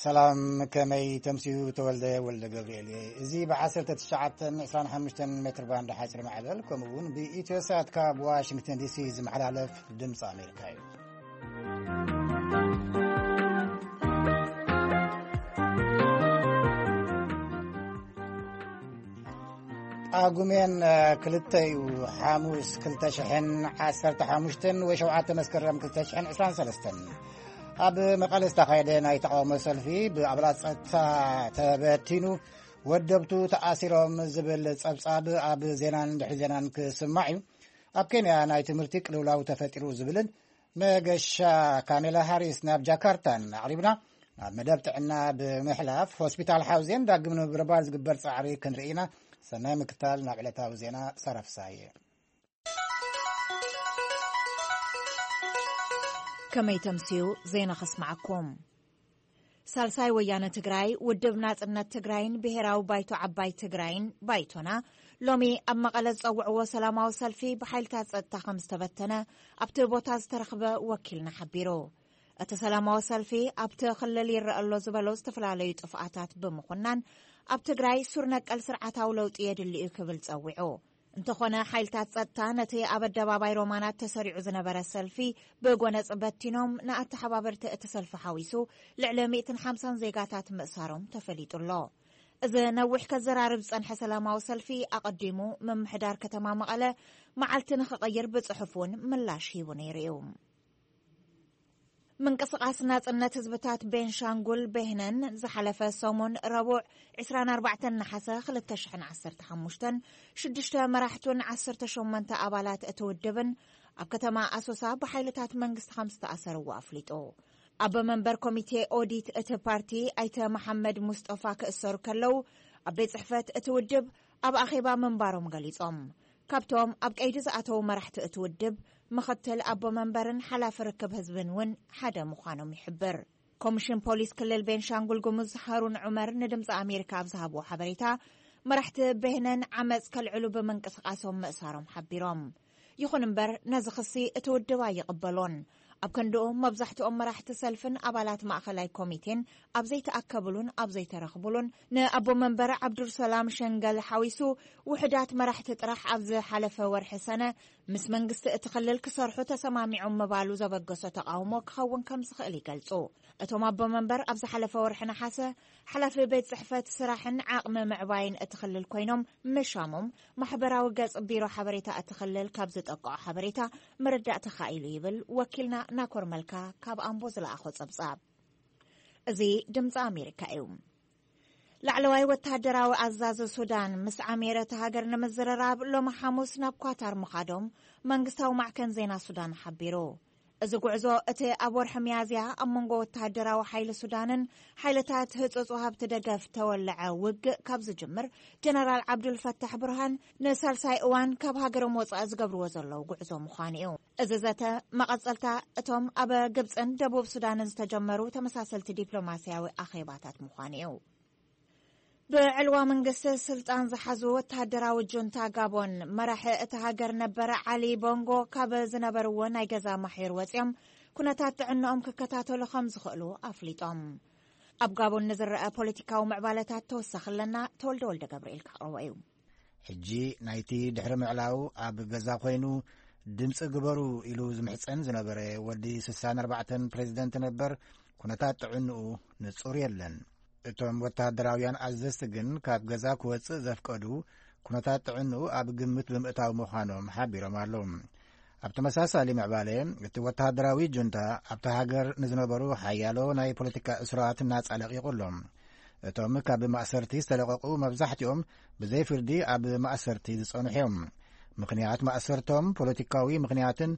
ሰላም፣ ከመይ ተምስዩ? ተወልደ ወልደ ገብርኤል እየ። እዚ ብ1925 ሜትር ባንድ ሓፂር ማዕበል፣ ከምኡ እውን ብኢትዮ ሳት ካብ ዋሽንግተን ዲሲ ዝመሓላለፍ ድምፂ ኣሜሪካ እዩ። ጳጉሜን ክልተ እዩ፣ ሓሙስ፣ ክልተ ሽሕን ዓሰርተ ሓሙሽተን ወይ ሸውዓተ መስከረም ክልተ ሽሕን ዕስራን ሰለስተን ኣብ መቐለ ዝተኻየደ ናይ ተቃውሞ ሰልፊ ብኣባላት ጸጥታ ተበቲኑ፣ ወደብቱ ተኣሲሮም ዝብል ጸብጻብ ኣብ ዜናን ድሕሪ ዜናን ክስማዕ እዩ። ኣብ ኬንያ ናይ ትምህርቲ ቅልውላው ተፈጢሩ ዝብልን መገሻ ካሜላ ሃሪስ ናብ ጃካርታን ኣቕሪብና፣ ናብ መደብ ጥዕና ብምሕላፍ ሆስፒታል ሓውዜን ዳግም ንምብርባር ዝግበር ጻዕሪ ክንርኢ ኢና። ሰናይ ምክታል። ናብ ዕለታዊ ዜና ሳራ ፍሳሃየ። ከመይ ተምስዩ ዜና ከስማዓኩም። ሳልሳይ ወያነ ትግራይ፣ ውድብ ናጽነት ትግራይን ብሔራዊ ባይቶ ዓባይ ትግራይን፣ ባይቶና፣ ሎሚ ኣብ መቐለ ዝጸውዕዎ ሰላማዊ ሰልፊ ብሓይልታት ጸጥታ ከም ዝተበተነ ኣብቲ ቦታ ዝተረኽበ ወኪልና ሓቢሩ። እቲ ሰላማዊ ሰልፊ ኣብቲ ክልል ይረአ ኣሎ ዝበሎ ዝተፈላለዩ ጥፍኣታት ብምኹናን፣ ኣብ ትግራይ ሱር ነቀል ስርዓታዊ ለውጢ የድሊ እዩ ክብል ጸዊዑ። እንተኾነ፣ ሓይልታት ጸጥታ ነቲ ኣብ ኣደባባይ ሮማናት ተሰሪዑ ዝነበረ ሰልፊ ብጎነጽ በቲኖም፣ ንኣተሓባበርቲ እቲ ሰልፊ ሓዊሱ ልዕሊ ሚእትን ሓምሳን ዜጋታት ምእሳሮም ተፈሊጡ ኣሎ። እዚ ነዊሕ ከዘራርብ ዝጸንሐ ሰላማዊ ሰልፊ፣ ኣቐዲሙ ምምሕዳር ከተማ መቐለ መዓልቲ ንኽቕይር ብጽሑፍ እውን ምላሽ ሂቡ ነይሩ እዩ። ምንቅስቓስ ናጽነት ህዝብታት ቤንሻንጉል፣ ቤህነን፣ ዝሓለፈ ሰሙን ረቡዕ ዕስራን ኣርባዕተን ነሓሰ ክልተ ሽሕን ዓሰርተ ሓሙሽተን፣ ሽዱሽተ መራሕቱን ዓሰርተ ሸሞንተ ኣባላት እቲ ውድብን ኣብ ከተማ ኣሶሳ ብሓይልታት መንግስቲ ከም ዝተኣሰርዎ ኣፍሊጡ። ኣቦ መንበር ኮሚቴ ኦዲት እቲ ፓርቲ ኣይተ መሓመድ ሙስጠፋ ክእሰሩ ከለዉ፣ ኣብ ቤት ጽሕፈት እቲ ውድብ ኣብ ኣኼባ ምንባሮም ገሊጾም። ካብቶም ኣብ ቀይዲ ዝኣተዉ መራሕቲ እቲ ውድብ፣ ምኽትል ኣቦ መንበርን ሓላፊ ርክብ ህዝብን እውን ሓደ ምዃኖም ይሕብር። ኮሚሽን ፖሊስ ክልል ቤንሻንጉል ጉሙዝ ሃሩን ዑመር ንድምፂ ኣሜሪካ ኣብ ዝሃብዎ ሓበሬታ፣ መራሕቲ ቤህነን ዓመፅ ከልዕሉ ብምንቅስቃሶም ምእሳሮም ሓቢሮም። ይኹን እምበር፣ ነዚ ክሲ እቲ ውድብ ኣይቕበሎን። ኣብ ክንድኡ፣ መብዛሕትኦም መራሕቲ ሰልፍን ኣባላት ማእኸላይ ኮሚቴን ኣብ ዘይተኣከብሉን ኣብ ዘይተረኽቡሉን፣ ንኣቦ መንበር ዓብዱልሰላም ሸንገል ሓዊሱ ውሑዳት መራሕቲ ጥራሕ ኣብ ዝሓለፈ ወርሒ ሰነ ምስ መንግስቲ እቲ ክልል ክሰርሑ ተሰማሚዖም ምባሉ ዘበገሶ ተቓውሞ ክኸውን ከም ዝኽእል ይገልጹ። እቶም ኣቦ መንበር ኣብ ዝሓለፈ ወርሒ ነሓሰ ሓላፊ ቤት ጽሕፈት ስራሕን ዓቕሚ ምዕባይን እቲ ክልል ኮይኖም ምሻሞም፣ ማሕበራዊ ገጽ ቢሮ ሓበሬታ እቲ ክልል ካብ ዝጠቅዖ ሓበሬታ ምርዳእ ተኻኢሉ ይብል ወኪልና ናኮር መልካ ካብ ኣምቦ ዝለኣኾ ጸብጻብ። እዚ ድምፂ ኣሜሪካ እዩ። ላዕለዋይ ወተሃደራዊ ኣዛዚ ሱዳን ምስ ዓሜረ እታ ሃገር ንምዝርራብ ሎሚ ሓሙስ ናብ ኳታር ምኻዶም መንግስታዊ ማዕከን ዜና ሱዳን ሓቢሩ። እዚ ጉዕዞ፣ እቲ ኣብ ወርሒ ሚያዝያ ኣብ መንጎ ወተሃደራዊ ሓይሊ ሱዳንን ሓይልታት ህጹጽ ወሃብቲ ደገፍ ተወለዐ ውግእ ካብ ዝጅምር፣ ጀነራል ዓብዱል ፈታሕ ብርሃን ንሳልሳይ እዋን ካብ ሃገሮም ወጻኢ ዝገብርዎ ዘለዉ ጉዕዞ ምዃኑ እዩ። እዚ ዘተ፣ መቐጸልታ እቶም ኣብ ግብጽን ደቡብ ሱዳንን ዝተጀመሩ ተመሳሰልቲ ዲፕሎማስያዊ ኣኼባታት ምዃኑ እዩ። ብዕልዋ መንግስቲ ስልጣን ዝሓዙ ወተሃደራዊ ጁንታ ጋቦን፣ መራሒ እቲ ሃገር ነበር ዓሊ ቦንጎ ካብ ዝነበርዎ ናይ ገዛ ማሕዩር ወጺኦም ኩነታት ጥዕንኦም ክከታተሉ ከም ዝኽእሉ ኣፍሊጦም። ኣብ ጋቦን ንዝረአ ፖለቲካዊ ምዕባለታት ተወሳኺ ኣለና፣ ተወልደ ወልደ ገብርኤል ከቕርቦ እዩ። ሕጂ ናይቲ ድሕሪ ምዕላው ኣብ ገዛ ኮይኑ ድምፂ ግበሩ ኢሉ ዝምሕፀን ዝነበረ ወዲ ስሳን ኣርባዕተን ፕሬዚደንት ነበር ኩነታት ጥዕንኡ ንፁር የለን። እቶም ወተሃደራውያን ኣዘዝቲ ግን ካብ ገዛ ክወፅእ ዘፍቀዱ ኩነታት ጥዕንኡ ኣብ ግምት ብምእታው ምዃኖም ሓቢሮም ኣለዉ። ኣብ ተመሳሳሊ ምዕባለ፣ እቲ ወተሃደራዊ ጁንታ ኣብቲ ሃገር ንዝነበሩ ሓያሎ ናይ ፖለቲካ እስራት ናጻ ለቒቑ ኣሎ። እቶም ካብ ማእሰርቲ ዝተለቐቑ መብዛሕትኦም ብዘይ ፍርዲ ኣብ ማእሰርቲ ዝጸንሑ እዮም። ምኽንያት ማእሰርቶም ፖለቲካዊ ምኽንያትን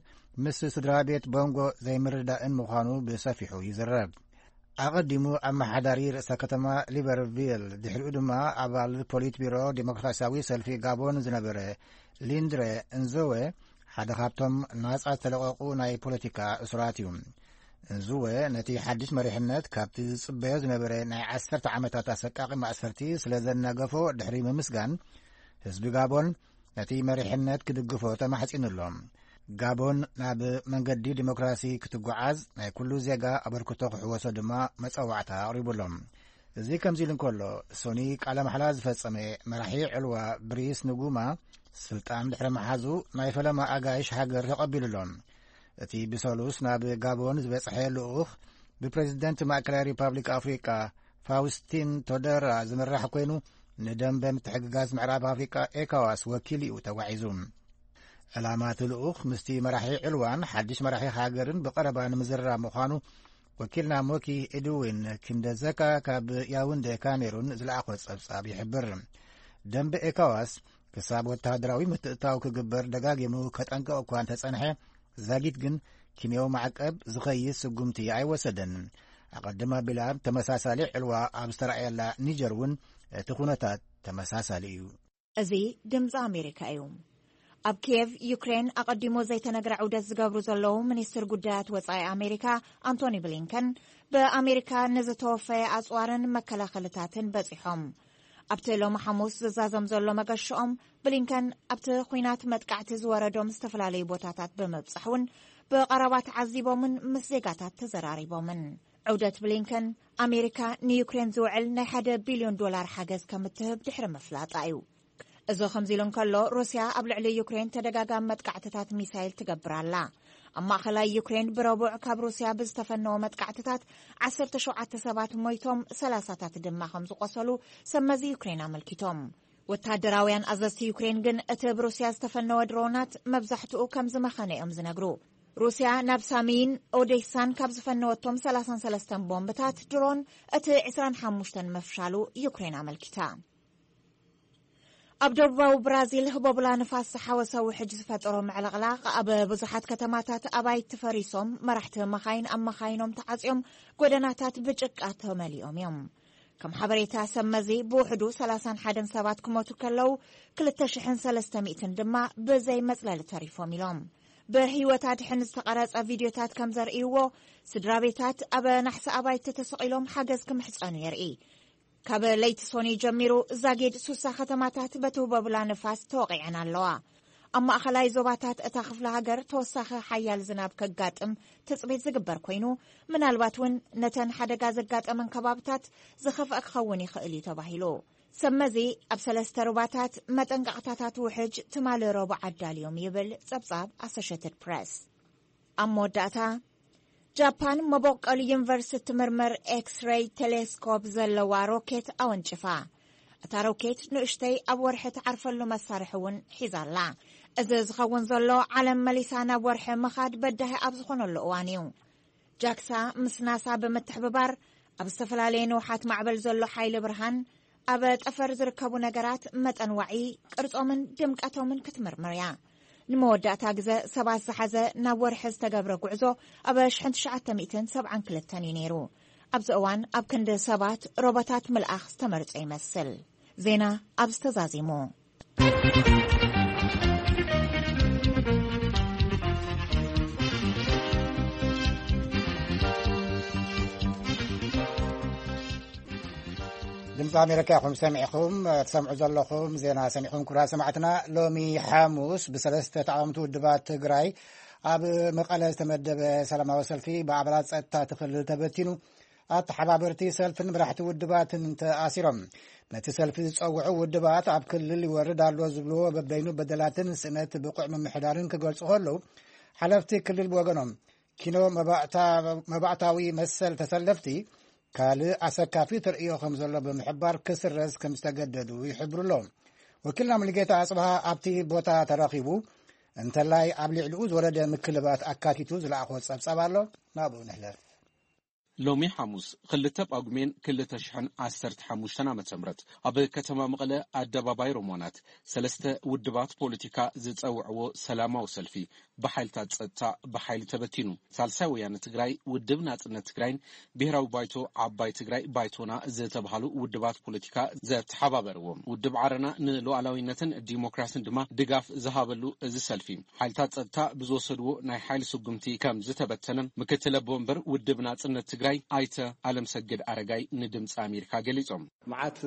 ምስ ስድራ ቤት ቦንጎ ዘይምርዳእን ምዃኑ ብሰፊሑ ይዝረብ። ኣቐዲሙ ኣመሓዳሪ ርእሰ ከተማ ሊበርቪል፣ ድሕሪኡ ድማ ኣባል ፖሊት ቢሮ ዴሞክራሲያዊ ሰልፊ ጋቦን ዝነበረ ሊንድረ እንዞወ፣ ሓደ ካብቶም ናጻ ዝተለቐቑ ናይ ፖለቲካ እሱራት እዩ። እንዞወ ነቲ ሓድሽ መሪሕነት ካብቲ ዝጽበዮ ዝነበረ ናይ ዓሰርተ ዓመታት ኣሰቃቒ ማእሰርቲ ስለ ዘናገፎ ድሕሪ ምምስጋን፣ ህዝቢ ጋቦን ነቲ መሪሕነት ክድግፎ ተማሕጺኑ ኣሎ። ጋቦን ናብ መንገዲ ዲሞክራሲ ክትጓዓዝ ናይ ኩሉ ዜጋ ኣበርክቶ ክሕወሶ ድማ መጸዋዕታ ኣቕሪቡ ኣሎ። እዚ ከምዚ ኢሉ እንከሎ፣ ሶኒ ቃለ ማሕላ ዝፈጸመ መራሒ ዕልዋ ብሪስ ንጉማ፣ ስልጣን ድሕሪ ምሓዙ ናይ ፈለማ ኣጋይሽ ሃገር ተቐቢሉ ኣሎ። እቲ ብሰሉስ ናብ ጋቦን ዝበጽሐ ልኡኽ ብፕሬዚደንት ማእከላይ ሪፓብሊክ ኣፍሪቃ ፋውስቲን ቶደራ ዝምራሕ ኮይኑ፣ ንደንበ ምትሕግጋዝ ምዕራብ ኣፍሪቃ ኤካዋስ ወኪል እዩ ተጓዒዙ። ዕላማ እቲ ልኡኽ ምስቲ መራሒ ዕልዋን ሓድሽ መራሒ ሃገርን ብቐረባ ንምዝርራብ ምዃኑ ወኪልና ሞኪ ኤድዊን ክንደዘካ ካብ ያውንደ ካሜሩን ዝለኣኾ ጸብጻብ ይሕብር። ደንበ ኤካዋስ ክሳብ ወተሃደራዊ ምትእታው ክግበር ደጋጊሙ ከጠንቅቕ እኳ እንተጸንሐ፣ ዛጊት ግን ኪንያዊ ማዕቀብ ዝኸይስ ስጉምቲ ኣይወሰደን። ኣቐድም ኣቢላ ተመሳሳሊ ዕልዋ ኣብ ዝተራእየላ ኒጀር እውን እቲ ኩነታት ተመሳሳሊ እዩ። እዚ ድምፂ ኣሜሪካ እዩ። ኣብ ኪየቭ ዩክሬን ኣቐዲሞ ዘይተነግረ ዑደት ዝገብሩ ዘለዉ ሚኒስትር ጉዳያት ወፃኢ ኣሜሪካ ኣንቶኒ ብሊንከን ብኣሜሪካ ንዝተወፈየ ኣፅዋርን መከላኸልታትን በፂሖም። ኣብቲ ሎሚ ሓሙስ ዝዛዘም ዘሎ መገሽኦም፣ ብሊንከን ኣብቲ ኲናት መጥቃዕቲ ዝወረዶም ዝተፈላለዩ ቦታታት ብምብጻሕ እውን ብቐረባ ተዓዚቦምን ምስ ዜጋታት ተዘራሪቦምን። ዑደት ብሊንከን፣ ኣሜሪካ ንዩክሬን ዝውዕል ናይ ሓደ ቢልዮን ዶላር ሓገዝ ከም እትህብ ድሕሪ ምፍላጣ እዩ። እዚ ከምዚ ኢሉ እንከሎ፣ ሩስያ ኣብ ልዕሊ ዩክሬን ተደጋጋሚ መጥቃዕትታት ሚሳይል ትገብር ኣላ። ኣብ ማእኸላይ ዩክሬን ብረቡዕ ካብ ሩስያ ብዝተፈነወ መጥቃዕትታት ዓሰርተ ሸውዓተ ሰባት ሞይቶም፣ ሰላሳታት ድማ ከም ዝቆሰሉ ሰብ መዚ ዩክሬን ኣመልኪቶም። ወታደራውያን ኣዘዝቲ ዩክሬን ግን እቲ ብሩስያ ዝተፈነወ ድሮናት መብዛሕትኡ ከም ዝመኸነ እዮም ዝነግሩ። ሩስያ ናብ ሳሚን ኦዴሳን ካብ ዝፈነወቶም ሰላሳን ሰለስተን ቦምብታት ድሮን እቲ ዕስራን ሓሙሽተን ምፍሻሉ ዩክሬን ኣመልኪታ። ኣብ ደቡባዊ ብራዚል ህቦብላ ንፋስ ዝሓወሰ ውሕጅ ዝፈጠሮ ምዕልቕላቕ ኣብ ብዙሓት ከተማታት ኣባይቲ ፈሪሶም፣ መራሕቲ መኻይን ኣብ መኻይኖም ተዓጽዮም፣ ጎደናታት ብጭቃ ተመሊኦም እዮም። ከም ሓበሬታ ሰብ መዚ፣ ብውሕዱ ሰላሳን ሓደን ሰባት ክሞቱ ከለዉ፣ ክልተ ሽሕን ሰለስተ ሚእትን ድማ ብዘይ መጽለሊ ተሪፎም ኢሎም። ብህይወት ኣድሕን ዝተቐረጸ ቪድዮታት ከም ዘርእይዎ፣ ስድራ ቤታት ኣብ ናሕሲ ኣባይቲ ተሰቒሎም ሓገዝ ክምሕጸኑ የርኢ። ካብ ለይቲ ሶኒ ጀሚሩ፣ ዛጊድ ሱሳ ከተማታት በቲ ህቦብላ ንፋስ ተወቒዐን ኣለዋ። ኣብ ማእኸላይ ዞባታት እታ ክፍለ ሃገር ተወሳኺ ሓያል ዝናብ ከጋጥም ትጽቢት ዝግበር ኮይኑ፣ ምናልባት እውን ነተን ሓደጋ ዘጋጠመን ከባብታት ዝኸፍአ ክኸውን ይኽእል እዩ ተባሂሉ። ሰብ መዚ፣ ኣብ ሰለስተ ሩባታት መጠንቀቕታታት ውሕጅ ትማሊ ረቡዕ ኣዳልዮም ይብል ጸብጻብ ኣሶሼትድ ፕረስ። ኣብ መወዳእታ፣ ጃፓን መበቆል ዩኒቨርስ እትምርምር ኤክስሬይ ቴሌስኮፕ ዘለዋ ሮኬት ኣወንጭፋ። እታ ሮኬት ንእሽተይ ኣብ ወርሒ ትዓርፈሉ መሳርሒ እውን ሒዛ ኣላ። እዚ ዝኸውን ዘሎ፣ ዓለም መሊሳ ናብ ወርሒ ምኻድ በዳሂ ኣብ ዝኾነሉ እዋን እዩ። ጃክሳ ምስ ናሳ ብምትሕብባር፣ ኣብ ዝተፈላለየ ንውሓት ማዕበል ዘሎ ሓይሊ ብርሃን፣ ኣብ ጠፈር ዝርከቡ ነገራት መጠን ዋዒ፣ ቅርጾምን ድምቀቶምን ክትምርምር እያ። ንመወዳእታ ግዘ ሰባት ዝሓዘ ናብ ወርሒ ዝተገብረ ጉዕዞ ኣብ ሽሕን ትሽዓተ ሚእትን ሰብዓን ክልተን እዩ ነይሩ። ኣብዚ እዋን ኣብ ክንዲ ሰባት ሮቦታት ምልኣኽ ዝተመርጸ ይመስል። ዜና ኣብዚ ተዛዚሙ። ድምፂ ኣሜሪካ ኢኹም ሰሚዕኹም። ትሰምዑ ዘለኹም ዜና ሰሚዕኹም። ክቡራት ሰማዕትና፣ ሎሚ ሓሙስ ብሰለስተ ተቃወምቲ ውድባት ትግራይ ኣብ መቐለ ዝተመደበ ሰላማዊ ሰልፊ ብኣባላት ጸጥታ እቲ ክልል ተበቲኑ፣ ኣተሓባበርቲ ሰልፍን መራሕቲ ውድባትን ተኣሲሮም። ነቲ ሰልፊ ዝጸውዑ ውድባት ኣብ ክልል ይወርድ ኣሎ ዝብልዎ በበይኑ በደላትን ስእነት ብቑዕ ምምሕዳርን ክገልጹ ከለዉ፣ ሓለፍቲ ክልል ብወገኖም ኪኖ መባእታ-፣ መባእታዊ መሰል ተሰለፍቲ ካልእ ኣሰካፊ ተርእዮ ከም ዘሎ ብምሕባር ክስረዝ ከም ዝተገደዱ ይሕብሩ ኣለዉ። ወኪልና ሙሉጌታ ኣጽብሃ ኣብቲ ቦታ ተረኺቡ፣ እንተላይ ኣብ ልዕሊኡ ዝወረደ ምክልባት ኣካቲቱ ዝለኣኾ ጸብጻብ ኣሎ፣ ናብኡ ንሕለፍ። ሎሚ ሓሙስ ክልተ ጳጉሜን ክልተ ሽሕን ዓሰርተ ሓሙሽተን ዓመተ ምህረት ኣብ ከተማ መቐለ ኣደባባይ ሮማናት ሰለስተ ውድባት ፖለቲካ ዝጸውዕዎ ሰላማዊ ሰልፊ ብሓይልታት ጸጥታ ብሓይሊ ተበቲኑ። ሳልሳይ ወያነ ትግራይ፣ ውድብ ናጽነት ትግራይን ብሄራዊ ባይቶ ዓባይ ትግራይ ባይቶና ዝተባሃሉ ውድባት ፖለቲካ ዘተሓባበርዎ ውድብ ዓረና ንሉዓላዊነትን ዲሞክራስን ድማ ድጋፍ ዝሃበሉ እዚ ሰልፊ፣ ሓይልታት ጸጥታ ብዝወሰድዎ ናይ ሓይሊ ስጉምቲ ከም ዝተበተነ ምክትል ኣቦ ወንበር ውድብ ናጽነት ትግራይ ኣይተ ኣለምሰገድ ኣረጋይ ንድምፂ ኣሜሪካ ገሊጾም። መዓት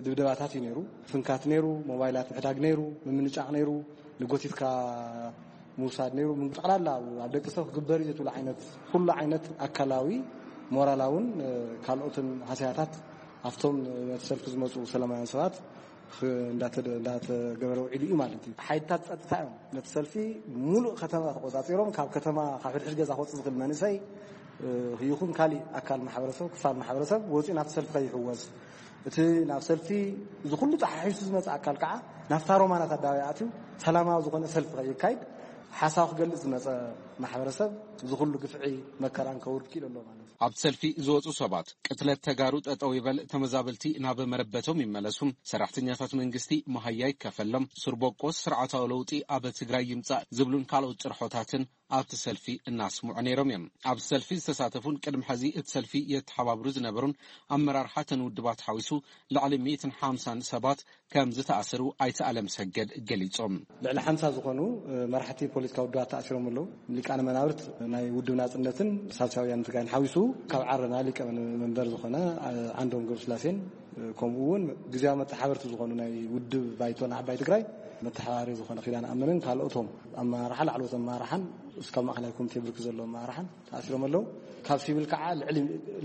ድብደባታት እዩ ነይሩ። ፍንካት ነይሩ፣ ሞባይላት ምሕዳግ ነይሩ፣ ምምንጫቕ ነይሩ፣ ንጎቲትካ ምውሳድ ነይሩ። ጠቕላላ ኣብ ደቂ ሰብ ክግበር እዩ ትብሉ ዓይነት ኩሉ ዓይነት ኣካላዊ፣ ሞራላውን ካልኦትን ሃስያታት ኣብቶም ነቲ ሰልፊ ዝመፁ ሰላማውያን ሰባት እንዳተገበረ ውዒሉ እዩ ማለት እዩ። ሓይልታት ፀጥታ እዮም ነቲ ሰልፊ ሙሉእ ከተማ ተቆፃፂሮም፣ ካብ ከተማ ካብ ሕድሕድ ገዛ ክወፅእ ዝኽእል መንእሰይ ይኹን ካሊእ ኣካል ማሕበረሰብ፣ ክፋል ማሕበረሰብ ወፂኡ ናብቲ ሰልፊ ከይሕወስ፣ እቲ ናብ ሰልፊ እዚ ኩሉ ተሓሒሱ ዝመፀ ኣካል ከዓ ናብታ ሮማናት ኣደባባይ ኣትዩ ሰላማዊ ዝኾነ ሰልፊ ከይካይድ፣ ሓሳብ ክገልፅ ዝመፀ ማሕበረሰብ እዚ ኩሉ ግፍዒ መከራን ከውርድ ክኢሉ ኣሎ ማለት እዩ። ኣብቲ ሰልፊ ዝወፁ ሰባት ቅትለት ተጋሩ ጠጠው ይበል፣ ተመዛበልቲ ናብ መረበቶም ይመለሱ፣ ሰራሕተኛታት መንግስቲ መሃያ ይከፈሎም፣ ስርቦቆስ ስርዓታዊ ለውጢ ኣብ ትግራይ ይምፃእ ዝብሉን ካልኦት ጭርሖታትን ኣብቲ ሰልፊ እናስምዑ ነይሮም እዮም። ኣብቲ ሰልፊ ዝተሳተፉን ቅድሚ ሕዚ እቲ ሰልፊ የተሓባብሩ ዝነበሩን ኣመራርሓ ተን ውድባት ሓዊሱ ልዕሊ ሚእትን ሓምሳን ሰባት ከም ዝተኣሰሩ ኣይተ ኣለም ሰገድ ገሊጾም። ልዕሊ ሓምሳ ዝኾኑ መራሕቲ ፖለቲካዊ ውድባት ተኣሲሮም ኣለዉ። ሊቃነ መናብርት ናይ ውድብ ናጽነትን ሳልሳውያን ትግራይን ሓዊሱ ካብ ዓረና ሊቀ መንበር ዝኾነ ዓንዶም ገብረስላሴን ከምኡ እውን ግዜያዊ መተሓባበርቲ ዝኾኑ ናይ ውድብ ባይቶን ዓባይ ትግራይ መተሓባሪ ዝኾነ ኪዳን ኣመንን ካልኦቶም ኣመራርሓ ላዕለዎት ኣመራርሓን እስካብ ማእኸላይ ኮሚቴ ብርክ ዘሎ ኣመራርሓን ተኣሲሮም ኣለዉ። ካብ ሲቪል ከዓ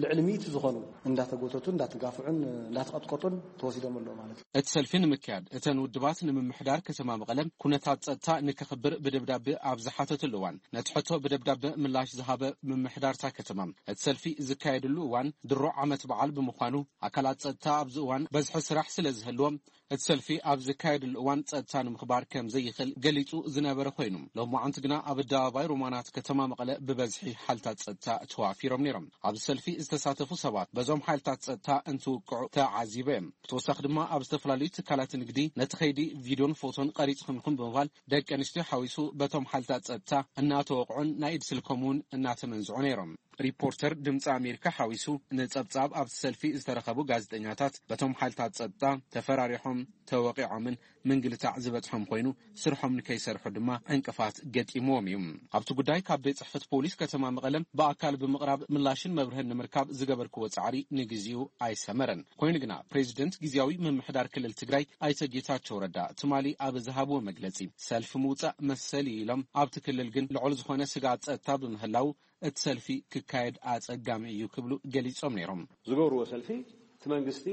ልዕሊ ሚእቲ ዝኾኑ እንዳተጎተቱ እንዳተጋፍዑን እንዳተቐጥቀጡን ተወሲዶም ኣለዉ ማለት እዩ። እቲ ሰልፊ ንምክያድ እተን ውድባት ንምምሕዳር ከተማ መቐለ ኩነታት ጸጥታ ንከኽብር ብደብዳበ ኣብ ዝሓተትሉ እዋን ነቲ ሕቶ ብደብዳበ ምላሽ ዝሃበ ምምሕዳርታ ከተማ እቲ ሰልፊ ዝካየድሉ እዋን ድሮ ዓመት በዓል ብምዃኑ ኣካላት ጸጥታ ኣብዚ እዋን በዝሒ ስራሕ ስለ ዝህልዎም እቲ ሰልፊ ኣብ ዝካየድሉ እዋን ጸጥታ ንምኽባር ከም ዘይኽእል ገሊጹ ዝነበረ ኮይኑ፣ ሎማዓንቲ ግና ኣብ ኣደባባይ ሮማናት ከተማ መቐለ ብበዝሒ ሓልታት ጸጥታ ተዋፊሮም ነይሮም። ኣብዚ ሰልፊ ዝተሳተፉ ሰባት በዞም ሓይልታት ጸጥታ እንትውቅዑ ተዓዚበ እዮም። ብተወሳኺ ድማ ኣብ ዝተፈላለዩ ትካላት ንግዲ ነቲ ከይዲ ቪድዮን ፎቶን ቀሪጽኹም ኢኹም ብምባል ደቂ ኣንስትዮ ሓዊሱ በቶም ሓይልታት ጸጥታ እናተወቕዑን ናይ ኢድ ስልኮም እውን እናተመንዝዑ ነይሮም። ሪፖርተር ድምፂ ኣሜሪካ ሓዊሱ ንጸብጻብ ኣብቲ ሰልፊ ዝተረኸቡ ጋዜጠኛታት በቶም ሓይልታት ጸጥታ ተፈራሪሖም፣ ተወቒዖምን ምንግልታዕ ዝበጽሖም ኮይኑ ስርሖም ንከይሰርሑ ድማ ዕንቅፋት ገጢምዎም እዩ። ኣብቲ ጉዳይ ካብ ቤት ጽሕፈት ፖሊስ ከተማ መቐለ ብኣካል ብምቕራብ ምላሽን መብርህን ንምርካብ ዝገበርክዎ ጻዕሪ ንግዚኡ ኣይሰመረን። ኮይኑ ግና ፕሬዚደንት ግዜያዊ ምምሕዳር ክልል ትግራይ ኣይተ ጌታቸው ረዳ ትማሊ ኣብ ዝሃብዎ መግለጺ ሰልፊ ምውጻእ መሰል እዩ ኢሎም ኣብቲ ክልል ግን ልዑል ዝኾነ ስግኣት ጸጥታ ብምህላው እቲ ሰልፊ ክካየድ ኣጸጋሚ እዩ ክብሉ ገሊጾም ነይሮም። ዝገብርዎ ሰልፊ እቲ መንግስቲ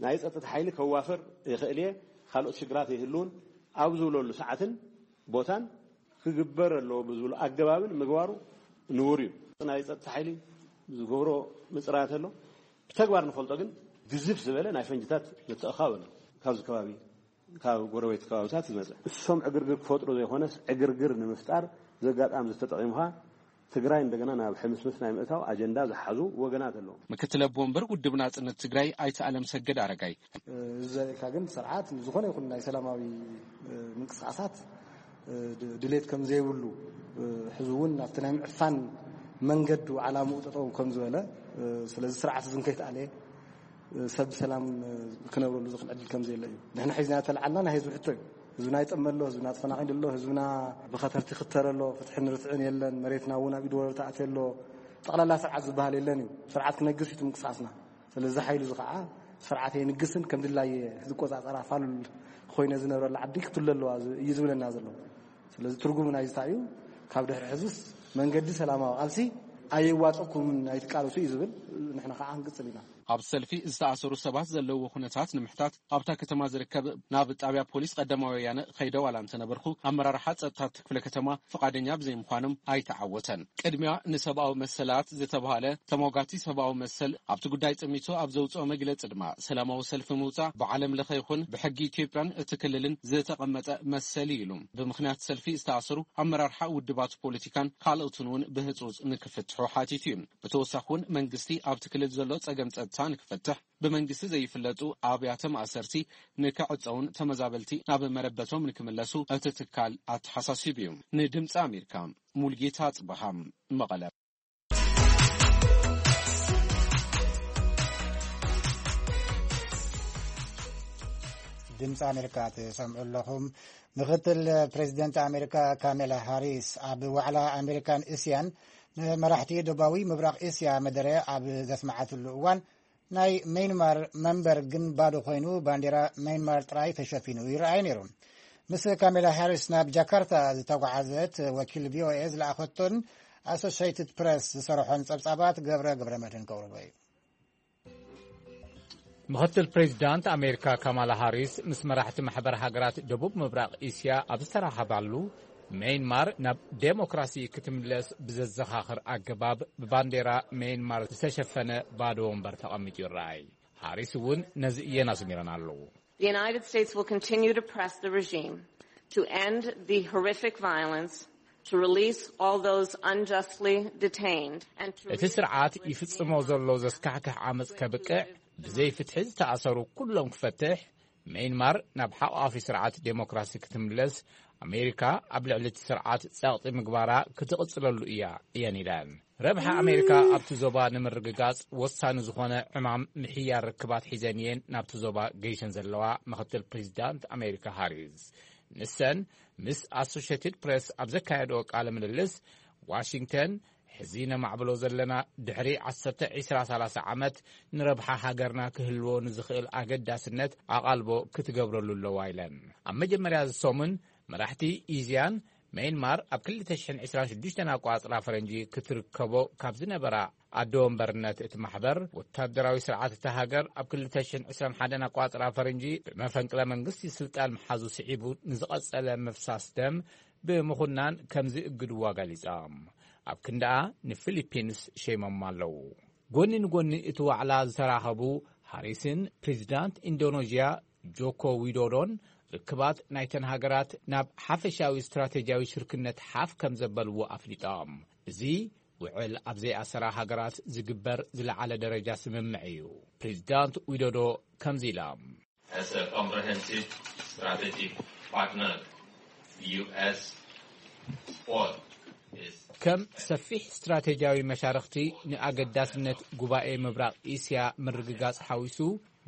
ናይ ጸጥታ ሓይሊ ከዋፍር ይኽእል እየ፣ ካልኦት ሽግራት ይህልውን ኣብ ዝብለሉ ሰዓትን ቦታን ክግበር ኣለዎ ብዝብሉ ኣገባብን ምግባሩ ንቡር እዩ። ናይ ጸጥታ ሓይሊ ዝገብሮ ምጽራያት ኣሎ። ብተግባር ንፈልጦ ግን ግዝፍ ዝበለ ናይ ፈንጅታት ምትእኻብ ኣሎ። ካብዚ ከባቢ ካብ ጎረቤት ከባብታት ዝመጸ እሶም ዕግርግር ክፈጥሩ ዘይኮነስ ዕግርግር ንምፍጣር ዘጋጣሚ ዝተጠቒምኻ ትግራይ እንደገና ናብ ሕምስምስ ናይ ምእታው ኣጀንዳ ዝሓዙ ወገናት ኣለዉ። ምክትል ኣቦ ወንበር ውድብ ናጽነት ትግራይ ኣይተ ኣለም ሰገድ ኣረጋይ። እዚ ዘርእካ ግን ስርዓት ዝኾነ ይኹን ናይ ሰላማዊ ምንቅስቃሳት ድሌት ከም ዘይብሉ፣ ሕዚ እውን ኣብቲ ናይ ምዕፋን መንገዱ ዓላምኡ ጠጠው ከም ዝበለ፣ ስለዚ ስርዓት እዚ እንከይተኣለየ ሰብ ብሰላም ክነብረሉ ዝኽእል ዕድል ከም ዘየለ እዩ። ንሕና ሒዝና ተለዓልና ናይ ህዝቢ ሕቶ እዩ። ህዝብና ይጠመ ኣሎ፣ ህዝብና ተፈናቒሉ ኣሎ፣ ህዝብና ብኸተርቲ ክተረ ኣሎ፣ ፍትሕን ርትዕን የለን፣ መሬትና እውን ኣብ ኢድ ወረርቲ ኣትየ ኣሎ፣ ጠቕላላ ስርዓት ዝበሃል የለን እዩ። ስርዓት ክነግስ እዩ እቲ ምንቅስቃስና። ስለዚ ሓይሉ እዚ ከዓ ስርዓት የንግስን ከም ድላየ ዝቆፃፀራ ፋሉል ኮይነ ዝነብረላ ዓዲ ክትህሉ ኣለዋ እዩ ዝብለና ዘሎ። ስለዚ ትርጉሙ ናይዚ እንታይ እዩ? ካብ ድሕሪ ሕዝስ መንገዲ ሰላማዊ ቃልሲ ኣየዋፀኩምን ኣይትቃለሱ እዩ ዝብል፣ ንሕና ከዓ ክንቅፅል ኢና። ኣብ ሰልፊ ዝተኣሰሩ ሰባት ዘለዎ ኩነታት ንምሕታት ኣብታ ከተማ ዝርከብ ናብ ጣብያ ፖሊስ ቀዳማዊ ወያነ ከይደ ዋላ እንተነበርኩ ኣመራርሓ ጸጥታ እቲ ክፍለ ከተማ ፍቓደኛ ብዘይምዃኖም ኣይተዓወተን። ቅድሚያ ንሰብኣዊ መሰላት ዝተባህለ ተሟጋቲ ሰብኣዊ መሰል ኣብቲ ጉዳይ ጸሚቱ ኣብ ዘውጽኦ መግለጺ ድማ ሰላማዊ ሰልፊ ምውጻእ ብዓለም ለኸ ይኹን ብሕጊ ኢትዮጵያን እቲ ክልልን ዝተቐመጠ መሰል እዩ ኢሉ። ብምኽንያት ሰልፊ ዝተኣሰሩ ኣመራርሓ ውድባት ፖለቲካን ካልኦትን እውን ብህጹጽ ንክፍትሑ ሓቲቱ እዩ። ብተወሳኺ እውን መንግስቲ ኣብቲ ክልል ዘሎ ጸገም ጸጥታ ንክፈትሕ ብመንግስቲ ዘይፍለጡ ኣብያተ ማእሰርቲ ንክዕጸውን ተመዛበልቲ ናብ መረበቶም ንክምለሱ እቲ ትካል ኣተሓሳሲቡ እዩ። ንድምፂ ኣሜሪካ ሙልጌታ ጽበሃ መቐለ። ድምፂ ኣሜሪካ ትሰምዑ ኣለኹም። ምክትል ፕሬዚደንት ኣሜሪካ ካሜላ ሃሪስ ኣብ ዋዕላ ኣሜሪካን እስያን ንመራሕቲ ደቡባዊ ምብራቕ እስያ መደረ ኣብ ዘስመዓትሉ እዋን ናይ መይንማር መንበር ግን ባዶ ኮይኑ ባንዴራ መይንማር ጥራይ ተሸፊኑ ይረኣይ ነይሩ። ምስ ካሜላ ሃሪስ ናብ ጃካርታ ዝተጓዓዘት ወኪል ቪ ኦ ኤ ዝለኣኸቶን ኣሶሽይትድ ፕረስ ዝሰርሖን ጸብጻባት ገብረ ገብረ መድህን ከቕርቦ እዩ። ምኽትል ፕሬዚዳንት ኣሜሪካ ካማላ ሃሪስ ምስ መራሕቲ ማሕበር ሃገራት ደቡብ ምብራቕ እስያ ኣብ ዝተራኸባሉ፣ ሜይንማር ናብ ዴሞክራሲ ክትምለስ ብዘዘኻኽር ኣገባብ ብባንዴራ ሜይንማር ዝተሸፈነ ባዶ ወንበር ተቐሚጡ ይረኣይ። ሃሪስ እውን ነዚ እየን ኣስሚረን ኣለዉ። The United States will continue to press the regime to end the horrific violence, to release all those unjustly detained, and to እቲ ስርዓት ይፍጽሞ ዘሎ ዘስካሕክሕ ዓመጽ ከብቅዕ፣ ብዘይ ፍትሒ ዝተኣሰሩ ኩሎም ክፈትሕ፣ ሜይንማር ናብ ሓቋፊ ስርዓት ዴሞክራሲ ክትምለስ፣ ኣሜሪካ ኣብ ልዕሊ እቲ ስርዓት ጸቕጢ ምግባራ ክትቕጽለሉ እያ እየን ኢለን። ረብሓ ኣሜሪካ ኣብቲ ዞባ ንምርግጋጽ ወሳኒ ዝኾነ ዕማም ምሕያር ርክባት ሒዘን እየን ናብቲ ዞባ ገይሸን ዘለዋ ምኽትል ፕሬዚዳንት ኣሜሪካ ሃሪስ። ንሰን ምስ ኣሶሽየትድ ፕሬስ ኣብ ዘካየድኦ ቃለ ምልልስ፣ ዋሽንግተን ሕዚ ነማዕብሎ ዘለና ድሕሪ ዓሰርተ፣ ዕስራ፣ ሰላሳ ዓመት ንረብሓ ሃገርና ክህልዎ ንዝኽእል ኣገዳስነት ኣቓልቦ ክትገብረሉ ኣለዋ ኢለን። ኣብ መጀመርያ እዚ ሰሙን መራሕቲ ኢዝያን ሜይንማር ኣብ ክልተ ሽሕን ዕስራን ሽዱሽተን ኣቋጽራ ፈረንጂ ክትርከቦ ካብ ዝነበራ ኣደ ወንበርነት እቲ ማሕበር፣ ወታደራዊ ስርዓት እታ ሃገር ኣብ ክልተ ሽሕን ዕስራን ሓደን ኣቋጽራ ፈረንጂ ብመፈንቅለ መንግስቲ ስልጣን ምሓዙ ስዒቡ ንዝቐጸለ ምፍሳስ ደም ብምኹናን ከም ዝእግድዋ ገሊጻ። ኣብ ክንዳኣ ንፊሊፒንስ ሸይሞም ኣለዉ። ጎኒ ንጎኒ እቲ ዋዕላ ዝተራኸቡ ሃሪስን ፕሬዚዳንት ኢንዶኔዥያ ጆኮ ዊዶዶን ርክባት ናይተን ሃገራት ናብ ሓፈሻዊ ስትራቴጂያዊ ሽርክነት ሓፍ ከም ዘበልዎ ኣፍሊጦም። እዚ ውዕል ኣብ ዘይኣሰራ ሃገራት ዝግበር ዝለዓለ ደረጃ ስምምዕ እዩ። ፕሬዚዳንት ዊዶዶ ከምዚ ኢሎም። As a comprehensive strategic partner, the U S support is ከም ሰፊሕ ስትራቴጂያዊ መሻርኽቲ ንኣገዳስነት ጉባኤ ምብራቕ እስያ ምርግጋጽ ሓዊሱ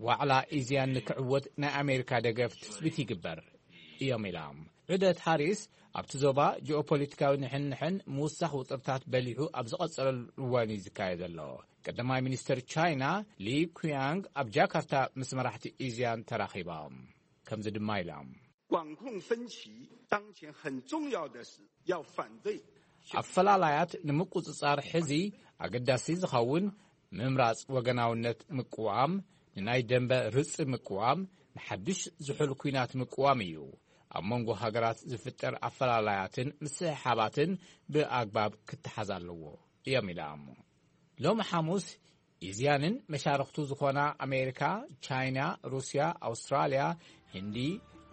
ዋዕላ ኢዝያን ንክዕወት ናይ ኣሜሪካ ደገፍ ትጽቢት ይግበር እዮም ኢሎም። ዑደት ሃሪስ ኣብቲ ዞባ ጂኦፖለቲካዊ ንሕንሕን ምውሳኽ ውጥርታት በሊሑ ኣብ ዝቐጸለሉ እዋን እዩ ዝካየድ ዘሎ። ቀዳማይ ሚኒስትር ቻይና ሊ ኩያንግ ኣብ ጃካርታ ምስ መራሕቲ ኢዝያን ተራኺቦም። ከምዚ ድማ ኢሎም። 管控分歧当前很重要的是要反对 ኣፈላላያት ንምቁጽጻር ሕዚ ኣገዳሲ ዝኸውን ምምራጽ ወገናውነት ምቅዋም፣ ንናይ ደንበ ርጽ ምቅዋም፣ ንሓድሽ ዝሑል ኲናት ምቅዋም እዩ። ኣብ መንጎ ሃገራት ዝፍጠር ኣፈላላያትን ምስሕሓባትን ብኣግባብ ክተሓዝ ኣለዎ እዮም ኢሎም። ሎሚ ሓሙስ ኢዝያንን መሻርኽቱ ዝኾና ኣሜሪካ፣ ቻይና፣ ሩስያ፣ ኣውስትራልያ፣ ህንዲ፣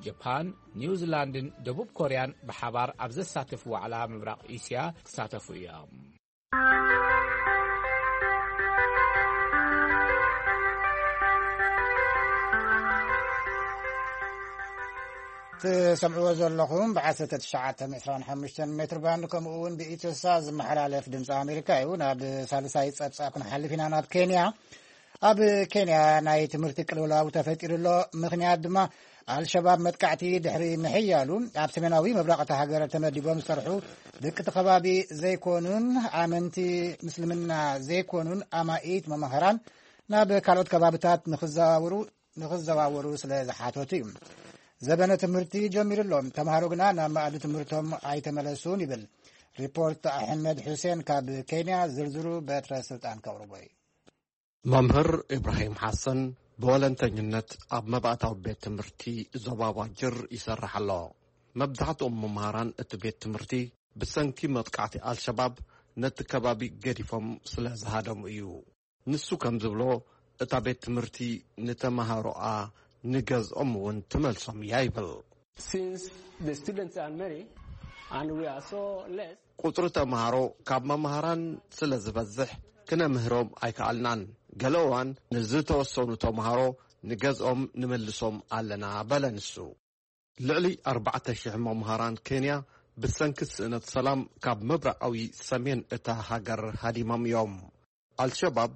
ጃፓን፣ ኒውዚላንድን ደቡብ ኮርያን ብሓባር ኣብ ዘሳትፍ ዋዕላ ምብራቕ እስያ ክሳተፉ እዮም። ትሰምዕዎ ዘለኹም ብ1925 ሜትር ባንድ ከምኡ እውን ብኢትዮሳ ዝመሓላለፍ ድምፂ ኣሜሪካ እዩ። ናብ ሳልሳይ ፀብፃብ ክንሓልፍ ኢና። ናብ ኬንያ። ኣብ ኬንያ ናይ ትምህርቲ ቅልውላው ተፈጢሩ ኣሎ። ምኽንያት ድማ ኣልሸባብ መጥቃዕቲ ድሕሪ ምሕያሉ ኣብ ሰሜናዊ ምብራቕ እታ ሃገር ተመዲቦም ዝሰርሑ ደቂ እቲ ከባቢ ዘይኮኑን ኣመንቲ ምስልምና ዘይኮኑን ኣማኢት መማህራን ናብ ካልኦት ከባብታት ንኽዘዋወሩ ንኽዘዋወሩ ስለ ዝሓተቱ እዩ። ዘበነ ትምህርቲ ጀሚሩ ኣሎ። ተምሃሮ ግና ናብ መኣዲ ትምህርቶም ኣይተመለሱን ይብል ሪፖርት ኣሕመድ ሑሴን ካብ ኬንያ። ዝርዝሩ በትረ ስልጣን ከቕርቦ እዩ። መምህር ኢብራሂም ሓሰን ብወለንተኝነት ኣብ መባእታዊ ቤት ትምህርቲ ዞባ ዋጅር ይሰርሕ ኣሎ። መብዛሕትኦም መምሃራን እቲ ቤት ትምህርቲ ብሰንኪ መጥቃዕቲ ኣልሸባብ ነቲ ከባቢ ገዲፎም ስለ ዝሃደሙ እዩ። ንሱ ከም ዝብሎ፣ እታ ቤት ትምህርቲ ንተመሃሮኣ ንገዝኦም እውን ትመልሶም እያ ይብል። Since the students are many and we are so less, ቁጽሪ ተመሃሮ ካብ መምሃራን ስለ ዝበዝሕ ክነምህሮም ኣይከኣልናን። ገለ እዋን ንዝተወሰኑ ተመሃሮ ንገዝኦም ንምልሶም ኣለና በለ ንሱ። ልዕሊ ኣርባዕተ ሽሕ መምሃራን ኬንያ ብሰንኪ ስእነት ሰላም ካብ ምብራቓዊ ሰሜን እታ ሃገር ሃዲሞም እዮም። ኣልሸባብ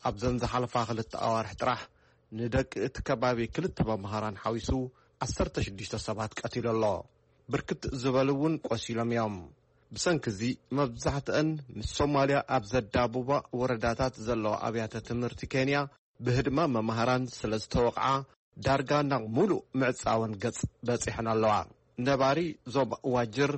ኣብዘን ዝሓለፋ ክልተ ኣዋርሕ ጥራሕ ንደቂ እቲ ከባቢ ክልተ መምሃራን ሓዊሱ ዓሰርተ ሽዱሽተ ሰባት ቀቲሉ ኣሎ። ብርክት ዝበሉ እውን ቆሲሎም እዮም። ብሰንኪ እዚ መብዛሕትአን ምስ ሶማልያ ኣብ ዘዳብባ ወረዳታት ዘለዋ ኣብያተ ትምህርቲ ኬንያ ብህድማ መምሃራን ስለ ዝተወቕዓ ዳርጋ ናብ ሙሉእ ምዕጻወን ገጽ በጺሐን ኣለዋ። ነባሪ ዞባ ዋጅር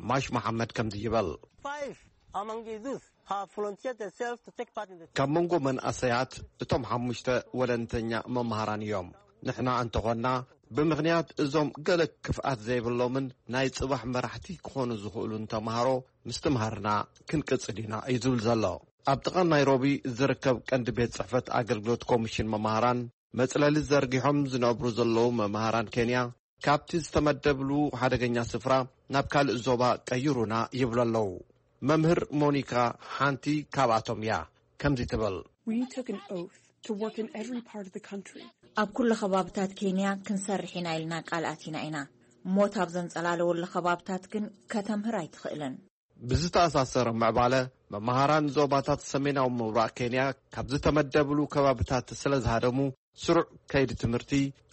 ማሽ መሓመድ ከምዚ ይበል። Five among the youth have volunteered themselves to take part in the ካብ መንጎ መንእሰያት እቶም ሓሙሽተ ወለንተኛ መምሃራን እዮም። ንሕና እንተኾንና ብምኽንያት እዞም ገለ ክፍኣት ዘይብሎምን ናይ ጽባሕ መራሕቲ ክኾኑ ዝኽእሉን ተምሃሮ ምስትምሃርና ክንቅጽል ኢና እዩ ዝብል ዘሎ። ኣብ ጥቓ ናይሮቢ ዝርከብ ቀንዲ ቤት ጽሕፈት ኣገልግሎት ኮሚሽን መምሃራን መጽለሊ ዘርጊሖም ዝነብሩ ዘለዉ መምሃራን ኬንያ ካብቲ ዝተመደብሉ ሓደገኛ ስፍራ ናብ ካልእ ዞባ ቀይሩና ይብሉ ኣለዉ። መምህር ሞኒካ ሓንቲ ካብኣቶም እያ። ከምዚ ትብል። We took an oath to work in every part of the country. ኣብ ኩሉ ከባብታት ኬንያ ክንሰርሕ ኢና ኢልና ቃል ኣቲና ኢና። ሞት ኣብ ዘንጸላለወሉ ከባብታት ግን ከተምህር ኣይትኽእልን። ብዝተኣሳሰረ ምዕባለ መምሃራን ዞባታት ሰሜናዊ ምብራቕ ኬንያ ካብ ዝተመደብሉ ከባብታት ስለ ዝሃደሙ ስሩዕ ከይዲ ትምህርቲ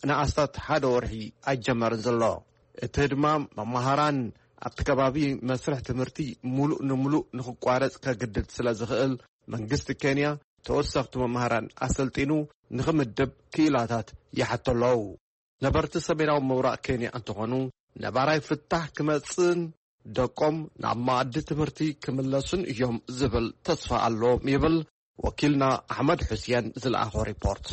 ንኣስታት ሓደ ወርሒ ኣይጀመርን ዘሎ። እቲ ድማ መምሃራን ኣብቲ ከባቢ መስርሕ ትምህርቲ ሙሉእ ንሙሉእ ንኽቋረጽ ከግድድ ስለ ዝኽእል መንግስቲ ኬንያ ተወሰኽቲ መምሃራን ኣሰልጢኑ ንኽምድብ ክኢላታት ይሓቶ ኣለዉ። ነበርቲ ሰሜናዊ ምብራቕ ኬንያ እንተኾኑ ነባራይ ፍታሕ ክመጽእን ደቆም ናብ መኣዲ ትምህርቲ ክምለሱን እዮም ዝብል ተስፋ ኣለዎም ይብል ወኪልና ኣሕመድ ሑስየን ዝለኣኾ ሪፖርት።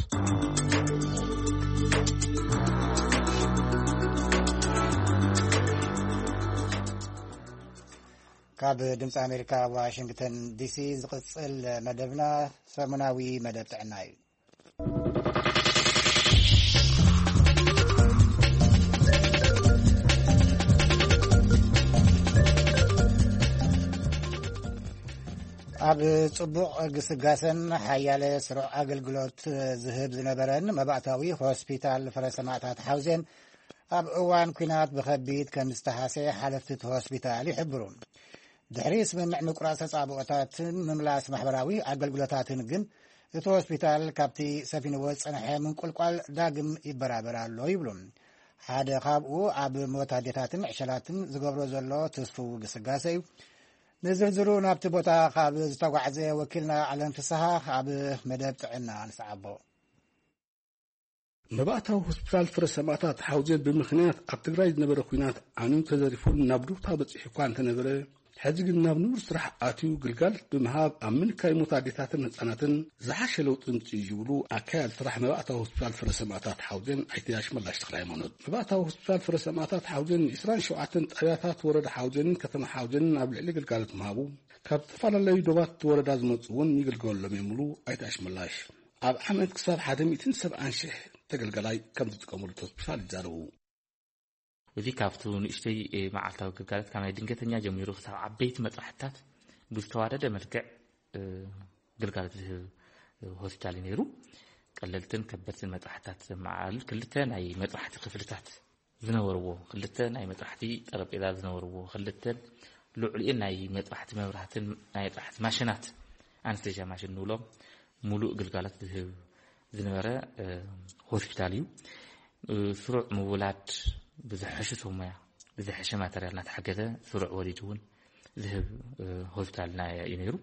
ካብ ድምፂ ኣሜሪካ ዋሽንግተን ዲሲ ዝቕፅል መደብና ሰሙናዊ መደብ ጥዕና እዩ። ኣብ ጽቡቕ ግስጋሰን ሓያለ ስሩዕ ኣገልግሎት ዝህብ ዝነበረን መባእታዊ ሆስፒታል ፍረ ሰማእታት ሓውዜን ኣብ እዋን ኲናት ብኸቢድ ከም ዝተሃሰየ ሓለፍቲ እቲ ሆስፒታል ይሕብሩ። ድሕሪ ስምምዕ ምቁራጽ ተጻብኦታትን ምምላስ ማሕበራዊ ኣገልግሎታትን ግን እቲ ሆስፒታል ካብቲ ሰፊንዎ ዝጸንሐ ምንቁልቋል ዳግም ይበራበር ኣሎ ይብሉ። ሓደ ካብኡ ኣብ ሞት ኣዴታትን ዕሸላትን ዝገብሮ ዘሎ ትስፉው ግስጋሰ እዩ። ንዝርዝሩ ናብቲ ቦታ ካብ ዝተጓዕዘ ወኪልና ኣለም ፍስሃ ኣብ መደብ ጥዕና ንስዓቦ። መባእታዊ ሆስፒታል ፍረ ሰማእታት ሓውዜን ብምኽንያት ኣብ ትግራይ ዝነበረ ኲናት ዓንዩ ተዘሪፉን ናብ ዱብታ በጺሑ እኳ እንተነበረ፣ ሕዚ ግን ናብ ንቡር ስራሕ ኣትዩ ግልጋሎት ብምሃብ ኣብ ምንካይ ሞት ኣዴታትን ህጻናትን ዝሓሸ ለውጢ ምጽኡ እዩ ዝብሉ ኣካያዲ ስራሕ መባእታዊ ሆስፒታል ፍረ ሰማእታት ሓውዜን ኣይተ ኣሽመላሽ ተኽለ ሃይማኖት። መባእታዊ ሆስፒታል ፍረ ሰማእታት ሓውዜን ን ዕስራን ሸውዓተን ጣብያታት ወረዳ ሓውዜንን ከተማ ሓውዜንን ኣብ ልዕሊ ግልጋሎት ምሃቡ ካብ ዝተፈላለዩ ዶባት ወረዳ ዝመጹ እውን ይግልገለሎም እዮም ይብሉ ኣይተ ኣሽመላሽ። ኣብ ዓመት ክሳብ ሓደ ሚእትን ሰብዓን ሽሕ ተገልጋላይ ከም ዝጥቀመሉ እቲ ሆስፒታል ይዛረቡ። እዚ ካብቲ ንእሽተይ፣ እ፣ መዓልታዊ ግልጋሎት ካብ ናይ ድንገተኛ ጀሚሩ ክሳብ ዓበይቲ መጥባሕትታት ብዝተዋደደ መልክዕ፣ እ፣ ግልጋሎት ዝህብ፣ እ፣ ሆስፒታል እዩ ነይሩ። ቀለልትን ከበድትን መጥባሕትታት ዘመዓል ክልተ ናይ መጥባሕቲ ክፍልታት ዝነበርዎ፣ ክልተ ናይ መጥባሕቲ ጠረጴዛ ዝነበርዎ፣ ክልተ ልዑልኤን ናይ መጥባሕቲ መብራህትን ናይ መጥባሕቲ ማሽናት፣ ኣነስቴዥያ ማሽን ንብሎም፣ ሙሉእ ግልጋሎት ዝህብ ዝነበረ፣ እ፣ ሆስፒታል እዩ። እ፣ ስሩዕ ምውላድ ብዝሐሹ ሰብ ሞያ፣ ብዝሐሸ ማተርያል እናተሓገዘ ስሩዕ ወሊድ እውን ዝህብ፣ እ፣ ሆስፒታልና እዩ ነይሩ።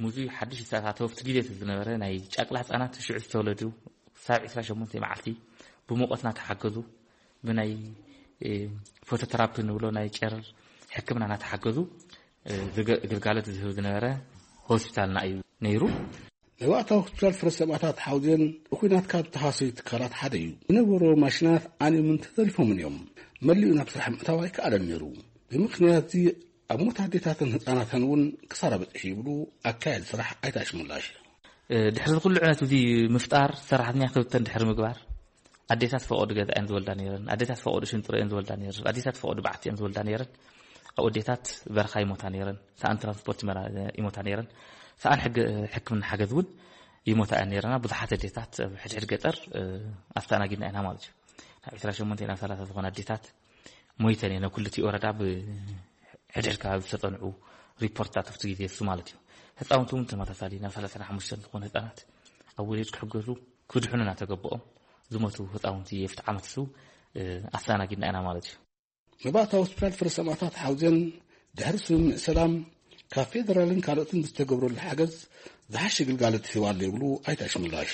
ሙዚ ሓድሽ ዝተኣታተወ ኣብቲ ግዜ እቲ ዝነበረ ናይ ጫቅላ ህፃናት ሽዑ ዝተወለዱ ክሳብ ዕስራ ሸሞንተ መዓልቲ ብሙቐት እናተሓገዙ ብናይ፣ እ፣ ፎቶተራፒ ንብሎ ናይ ጨረር ሕክምና እናተሓገዙ፣ እ፣ ዝገ-፣ ግልጋሎት ዝህብ ዝነበረ ሆስፒታልና እዩ ነይሩ። መባእታዊ ሆስፒታል ፍረ ሰማእታት ሓውዜን ብኲናት ካብ ዝተሃሰዩ ትካላት ሓደ እዩ። ዝነበሩ ማሽናት ዓንዮምን ተዘሪፎምን እዮም። መሊኡ ናብ ስራሕ ምእታው ኣይከኣለን ነይሩ። ብምኽንያት እዚ ኣብ ሞት ኣዴታትን ህፃናትን እውን ክሳራ በፂሑ ይብሉ ኣካያዲ ስራሕ ኣይተ ኣሽመላሽ። እ፣ ድሕሪ እዚ ኩሉ ዕነት እዚ ምፍጣር ሰራሕተኛ ክብተን ድሕሪ ምግባር ኣዴታት ፈቐዱ ገዛ እየን ዝወልዳ ነይረን። ኣዴታት ፈቐዱ ሽንጥሮ እየን ዝወልዳ ነይረን። ኣዴታት ፈቐዱ በዓቲ እየን ዝወልዳ ነይረን። ኣብ ኣዴታት በረኻ ይሞታ ነይረን። ሰኣን ትራንስፖርት ይመራ-፣ ይሞታ ነይረን። ሰኣን ሕግ-፣ ሕክምና ሓገዝ እውን ይሞታ እየን ነይረና። ብዙሓት ኣዴታት ኣብ ሕድሕድ ገጠር፣ እ፣ ኣስተኣናጊድና ኢና ማለት እዩ። ካብ ዕስራ ሸሞንተ ናብ ሰላሳ ዝኾና ኣዴታት ሞይተን እየን። ኣብ ክልቲኡ ወረዳ ብሕድሕድ ከባቢ ዝተጸንዑ ሪፖርትታት ኣብቲ ግዜ እሱ ማለት እዩ። ህፃውንቲ እውን ተመሳሳሊ ናብ ሰላሳ ሓሙሽተ ዝኾኑ ህፃናት ኣብ ወሊድ ክሕገዙ ክድሕኑ እናተገበኦም ዝሞቱ ህፃውንቲ ኣብቲ ዓመት እሱ፣ እ፣ ኣስተኣናጊድና ኢና ማለት እዩ። መባእታዊ ሆስፒታል ፍረ ሰማእታት ሓውዜን ድሕሪ ስምምዕ ሰላም ካብ ፌደራልን ካልኦትን ብዝተገብረሉ ሓገዝ ዝሓሸ ግልጋሎት ይህብ ኣሎ ይብሉ ኣይተ ኣሽመላሽ።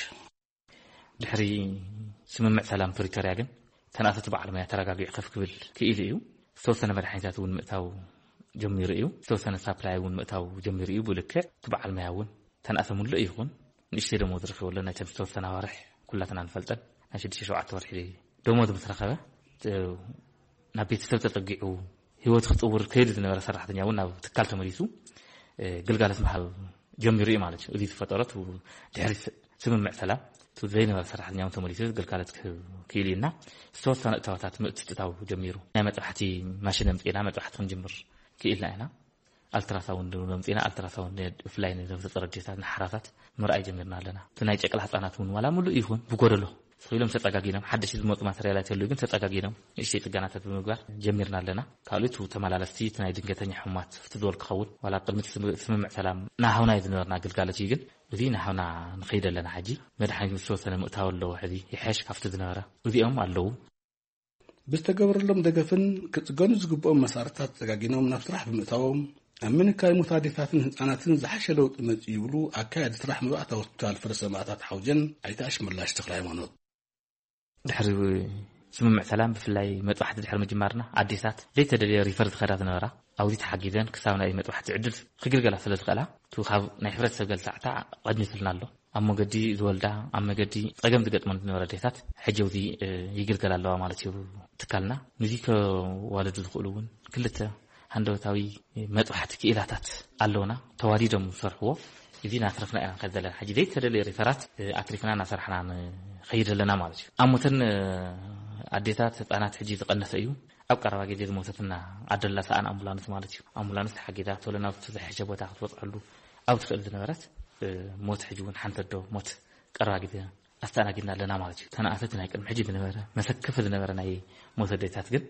ድሕሪ ስምምዕ ሰላም ፕሪቶርያ ግን ተናተቲ በዓል ሞያ ተረጋጊዑ ከፍ ክብል ክኢሉ እዩ። ዝተወሰነ መድሓኒታት እውን ምእታው ጀሚሩ እዩ። ዝተወሰነ ሳፕላይ እውን ምእታው ጀሚሩ እዩ። ብልክዕ እቲ በዓል መያ እውን ተንኣሰ ሙሉእ ይኹን ንእሽተይ ደሞዝ ረኺቡ ኣሎ። ናይተን ዝተወሰነ ኣዋርሕ ኩላትና ንፈልጠን ናይ ሽዱሽተ ሸውዓተ ወርሒ ደሞዝ ምስ ረኸበ፣ እ፣ ናብ ቤተሰብ ተጸጊዑ ህይወት ክጥውር ከይዱ ዝነበረ ሰራሕተኛ እውን ናብ ትካል ተመሊሱ፣ እ፣ ግልጋሎት ምሃብ ጀሚሩ እዩ ማለት እዩ። እዚ ዝፈጠረት ድሕሪ ስ-፣ ስምምዕ ሰላም እቲ ዘይነበረ ሰራሕተኛ እውን ተመሊሱ ግልጋሎት ክህብ ክኢሉ እዩ እና ዝተወሰነ እታወታት ምእትታው ጀሚሩ። ናይ መጥባሕቲ ማሽን ኣምጺእና መጥባሕቲ ክንጅምር ክኢልና ኢና። ኣልትራሳውንድ እውን ኣምጺእና፣ ኣልትራሳውንድ ብፍላይ ንነብሰ ጾር ኣዴታት ንሓራሳት ምርኣይ ጀሚርና ኣለና። እቲ ናይ ጨቅላ ህጻናት እውን ዋላ ሙሉእ ይኹን ብጎደሎ ስኺሎም ተጸጋጊኖም፣ ሓደሽ ዝመጹ ማተርያላት የሉ ግን ተጸጋጊኖም ንእሽተይ ጽገናታት ብምግባር ጀሚርና ኣለና። ካልእ እቲ ተመላለስቲ እቲ ናይ ድንገተኛ ሕሙማት ፍቲ ዝበል ክኸውን ዋላ ኣብ ቅድሚ እቲ ስም-፣ ስምምዕ ሰላም ናሃውና እዩ ዝነበርና ግልጋሎት እዩ ግን እዚ ናሃውና ንኸይድ ኣለና። ሕጂ መድሓኒት ምስ ተወሰነ ምእታው ኣለዎ። ሕዚ ይሐሽ ካብቲ ዝነበረ እዚኦም ኣለዉ። ብዝተገበረሎም ደገፍን ክጽገኑ ዝግብኦም መሳርሕታት ተጸጋጊኖም ናብ ስራሕ ብምእታዎም ኣብ ምንካይ ሞት ኣዴታትን ህጻናትን ዝሓሸ ለውጢ መጽኡ ይብሉ ኣካያዲ ስራሕ መባእታ ሆስፒታል ፍረ ሰማእታት ሓውጀን ኣይተ ኣሽመላሽ ተኽለ ሃይማኖት። ድሕሪ ስምምዕ ሰላም ብፍላይ መጥባሕቲ ድሕሪ ምጅማርና ኣዴታት ዘይተደልየ ሪፈር ዝኸዳ ዝነበራ ኣብዚ ተሓጊዘን ክሳብ ናይ መጥባሕቲ ዕድል ክግልገላ ስለ ዝኽእላ እቲ ካብ ናይ ሕብረተሰብ ገልታዕታ ቀድኒትልና ኣሎ። ኣብ መገዲ ዝወልዳ ኣብ መገዲ ጸገም ዝገጥመን ዝነበረ ኣዴታት ሕጂ ኣብዚ፣ እ፣ ይግልገላ ኣለዋ ማለት እዩ ትካልና። ንዚ ከዋልዱ ዝኽእሉ እውን ክልተ ሃንደበታዊ መጥባሕቲ ክኢላታት ኣለውና ተዋዲዶም ዝሰርሕዎ። እዚ እናትረፍና ኢና ንኸይድ ዘለና። ሕጂ ዘይተደለየ ሪፈራት፣ እ፣ ኣትሪፍና እናሰራሕና ንኸይድ ኣለና ማለት እዩ። ኣሞተን፣ እ፣ ኣዴታት ህፃናት ሕጂ ዝቐነሰ እዩ። ኣብ ቀረባ ግዜ ዝሞተትና ኣደላ ሰኣን ኣምቡላንስ ማለት እዩ። ኣምቡላንስ ተሓጊዛ ቶሎ ናብ ዝተዘሐሸ ቦታ ክትበፅሐሉ ኣብ ትኽእል ዝነበረት፣ እ፣ ሞት ሕጂ እውን ሓንቲ ኣዶ ሞት ቀረባ ግዜ ኣስተኣናጊድና ኣለና ማለት እዩ። ተነኣሰቲ ናይ ቅድሚ ሕጂ ዝነበረ መሰከፊ ዝነበረ ናይ ሞት ኣዴታት ግን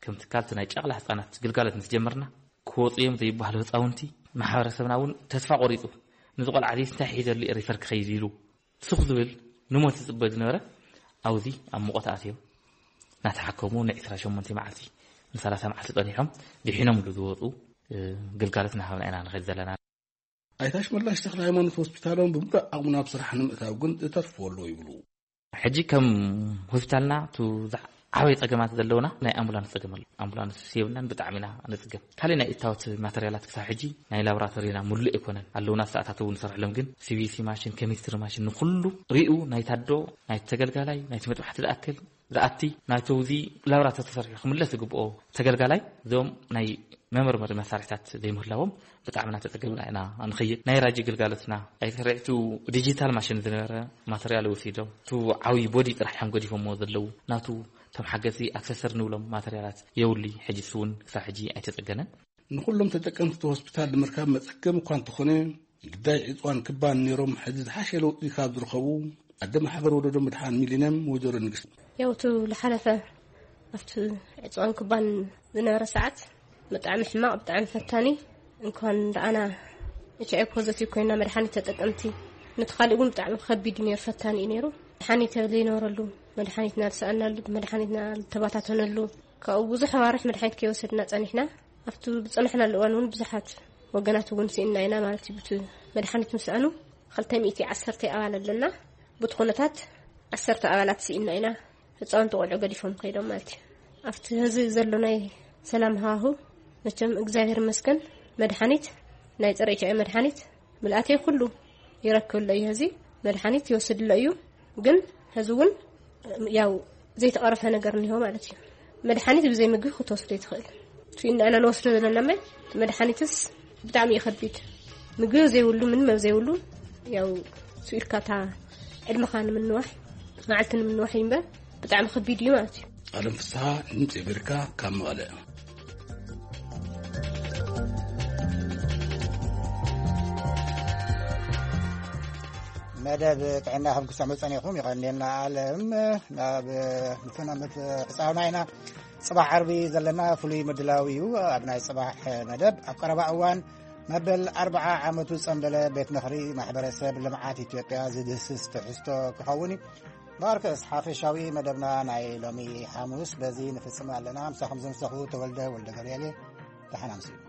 ከም ትካል እቲ ናይ ጨቕላ ህፃናት ግልጋሎት ምስ ጀመርና ክወፁ እዮም ዘይበሃሉ ህፃውንቲ ማሕበረሰብና እውን ተስፋ ቆሪፁ። ነዚ ቆልዓ እዚ እንታይ ሒዘሉ እየ ሪፈር ክኸይድ ኢሉ ስኽ ዝብል ንሞት ዝፅበ ዝነበረ ኣብዚ ኣብ ሙቐት ኣትዮም እናተሓከሙ ንዒስራ ሸሞንተ መዓልቲ ንሰላሳ መዓልቲ ፀኒሖም ድሒኖምሉ ዝወፁ፣ እ፣ ግልጋሎት እናሃብና ኢና ንኸይድ ዘለና። ኣይተ ኣሽመላሽ ተኽለ ሃይማኖት ሆስፒታሎም ብምሉእ ዓቕሙ ናብ ስራሕ ንምእታው ግን ዝተርፎ ኣሎ ይብሉ። ሕጂ ከም ሆስፒታልና እቱ ዝዓበየ ጸገማት ዘለውና ናይ ኣምቡላንስ ጸገም ኣሎ። ኣምቡላንስ የብልናን፣ ብጣዕሚ ኢና ንጽገም። ካልእ ናይ እታወት ማተርያላት ክሳብ ሕጂ ናይ ላቦራቶሪና ሙሉእ ኣይኮነን። ኣለውና፣ ሰዓታት እውን ንሰርሕሎም፣ ግን ሲ ቢ ሲ ማሽን፣ ኬሚስትሪ ማሽን ንኹሉ ሪኡ ናይ ታዶ፣ ናይ ተገልጋላይ፣ ናይ መጥባሕቲ ዝኣክል ዝኣቲ ናይቶ እዚ ላብራቶሪ ተሰሪሑ ክምለስ ዝግብኦ ተገልጋላይ እዞም ናይ መመርመሪ መሳርሕታት ዘይምህላዎም ብጣዕሚ እናተጸገምና ኢና ንኸይድ። ናይ ራጂ ግልጋሎትና ኣይተሰሪዕቱ ዲጂታል ማሽን ዝነበረ ማተርያል ወሲዶም፣ እቲ ዓብዪ ቦዲ ጥራሕ እዮም ገዲፎምዎ ዘለዉ። ናቱ እቶም ሓገዝቲ ኣክሰሰር ንብሎም ማተርያላት የውሊ፣ ሕጂ እሱ እውን ክሳብ ሕጂ ኣይተጸገነን። ንኹሎም ተጠቀምቲ ሆስፒታል ንምርካብ መጸገም እኳ እንተኾነ፣ ግዳይ ዕፅዋን ክባን ነይሮም ሕዚ ዝሓሸ ለውጢ ካብ ዝረኸቡ ኣደ ማሕበር ወለዶ ምድሓን ሚሊንየም ወይዘሮ ንግስቲ። ያው እቲ ዝሓለፈ ኣብቲ ዕፅዋን ክባን ዝነበረ ሰዓት ብጣዕሚ ሕማቕ፣ ብጣዕሚ ፈታኒ። እንኳን ደኣና ኤች ኣይ ፖዘቲቭ ኮይና መድሓኒት ተጠቀምቲ፣ ነቲ ካልእ እውን ብጣዕሚ ከቢድ እዩ ነይሩ፣ ፈታኒ እዩ ነይሩ። መድሓኒት ዘይነበረሉ፣ መድሓኒትና ዝሰኣናሉ፣ መድሓኒትና ዝተባታተነሉ፣ ካብኡ ብዙሕ ኣዋርሕ መድሓኒት ከይወሰድና ጸኒሕና። ኣብቲ ዝጸናሕናሉ እዋን እውን ብዙሓት ወገናት እውን ስኢንና ኢና ማለት እዩ። ብቲ መድሓኒት ምስኣኑ ክልተ ሚእቲ ዓሰርተ ኣባል ኣለና። ብቲ ኩነታት ዓሰርተ ኣባላት ስኢንና ኢና። ህፃውንቲ ቆልዑ ገዲፎም ከይዶም ማለት እዩ። ኣብቲ ህዚ ዘሎ ናይ ሰላም ሃዋሁ መቸም እግዚኣብሔር ይመስገን መድሓኒት፣ ናይ ፀረ ኤች ኣይ መድሓኒት ምልኣተይ ኩሉ ይረክብ ኣሎ እዩ። ህዚ መድሓኒት ይወስድ ኣሎ እዩ። ግን ህዚ እውን ያው ዘይተቐረፈ ነገር እኒሆ ማለት እዩ። መድሓኒት ብዘይ ምግቢ ክትወስዶ ይትኽእል። እቲ ንኣና ንወስዶ ዘለና መ-፣ መድሓኒትስ ብጣዕሚ እዩ ከቢድ። ምግቢ ዘይብሉ፣ ምንም ኣብ ዘይብሉ፣ ያው ስኢልካ እታ ዕድመኻ ንምንዋሕ፣ መዓልቲ ንምንዋሕ እዩ እምበር ብጣዕሚ ከቢድ እዩ ማለት እዩ። ኣለም ፍስሓ፣ ድምፂ ኣሜሪካ፣ ካብ መቐለ። መደብ ጥዕና ከም ክትሰምዑ ጸኒኹም፣ ይቐንየልና ኣለም። ናብ ፍጻመ ምብጻሕና ኢና። ጽባሕ ዓርቢ ዘለና ፍሉይ ምድላው እዩ። ኣብ ናይ ጽባሕ መደብ ኣብ ቀረባ እዋን መበል ኣርብዓ ዓመቱ ዝጸንበለ ቤት ምኽሪ ማሕበረሰብ ልምዓት ኢትዮጵያ ዝድህስስ ትሕዝቶ ክኸውን እዩ። ማርከስ ሓፈሻዊ መደብና ናይ ሎሚ ሓሙስ በዚ ንፍጽም ኣለና። ምሳኹም ዘምሰኹ ተወልደ ወልደ ገብርኤል እየ። ደሓን ኣምስዩ።